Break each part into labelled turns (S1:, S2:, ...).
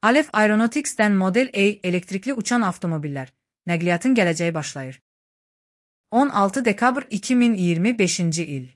S1: Aleph Aeronautics'ten Model A elektrikli uçan avtomobillər. Nəqliyyatın gələcəyi başlayır. 16 dekabr 2025-ci il.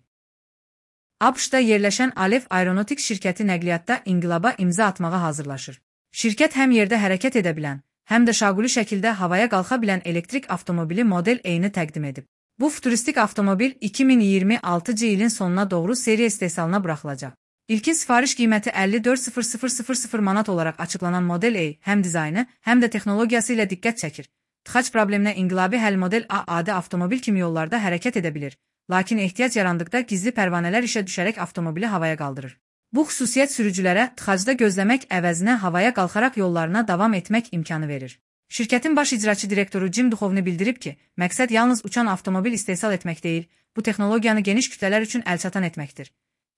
S1: ABŞ-da yerləşən Aleph Aeronautics şirkəti nəqliyyatda inqilaba imza atmağa hazırlaşır. Şirkət həm yerdə hərəkət edə bilən, həm də şaquli şəkildə havaya qalxa bilən elektrik avtomobili Model A-ni təqdim edib. Bu futuristik avtomobil 2026-cı ilin sonuna doğru seriya istehsalına buraxılacaq. İlkin sifariş qiyməti 54.000 manat olaraq açıqlanan Model A həm dizaynı, həm də texnologiyası ilə diqqət çəkir. Tıxac probleminə inqilabi həll Model A adi avtomobil kimi yollarda hərəkət edə bilir, lakin ehtiyac yarandıqda gizli pərvanələr işə düşərək avtomobili havaya qaldırır. Bu xüsusiyyət sürücülərə tıxacda gözləmək əvəzinə havaya qalxaraq yollarına davam etmək imkanı verir. Şirkətin baş icraçı direktoru Jim Duchovny bildirib ki, məqsəd yalnız uçan avtomobil istehsal etmək deyil, bu texnologiyanı geniş kütlələr üçün əlçatan etməkdir.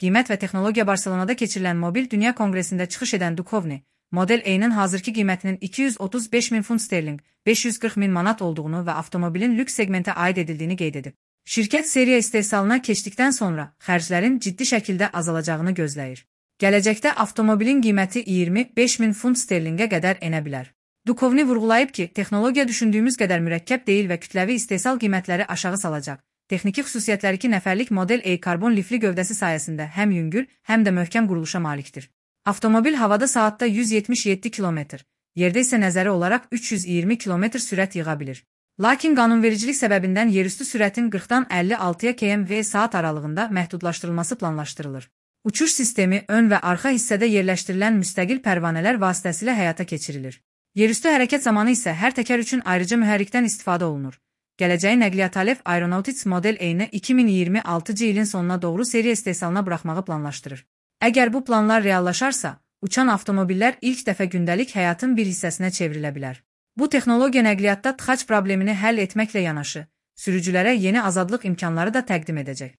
S1: Qiymət və texnologiya Barselonada keçirilən Mobil Dünya Konqresində çıxış edən Duchovny, Model A-nın hazırki qiymətinin 235.000 funt sterling, 540.000 manat olduğunu və avtomobilin lüks segmentə aid edildiyini qeyd edib. Şirkət seriya istehsalına keçdikdən sonra xərclərin ciddi şəkildə azalacağını gözləyir. Gələcəkdə avtomobilin qiyməti 25.000 funt sterlingə qədər enə bilər. Duchovny vurğulayıb ki, texnologiya düşündüyümüz qədər mürəkkəb deyil və kütləvi istehsal qiymətləri aşağı salacaq. Texniki xüsusiyyətləri 2 nəfərlik Model A karbon lifli gövdəsi sayəsində həm yüngül, həm də möhkəm quruluşa malikdir. Avtomobil havada saatda 177 km, yerdə isə nəzəri olaraq 320 km sürət yığa bilir. Lakin qanunvericilik səbəbindən yerüstü sürətin 40-dan 56 km/saat aralığında məhdudlaşdırılması planlaşdırılır. Uçuş sistemi ön və arxa hissədə yerləşdirilən müstəqil pərvanələr vasitəsilə həyata keçirilir. Yerüstü hərəkət zamanı isə hər təkər üçün ayrıca mühərrikdən istifadə olunur. Gələcəyi nəqliyyat Aleph Aeronautics Model A-ni 2026-cı ilin sonuna doğru seriya istehsalına buraxmağı planlaşdırır. Əgər bu planlar reallaşarsa, uçan avtomobillər ilk dəfə gündəlik həyatın bir hissəsinə çevrilə bilər. Bu texnologiya nəqliyyatda tıxac problemini həll etməklə yanaşı, sürücülərə yeni azadlıq imkanları da təqdim edəcək.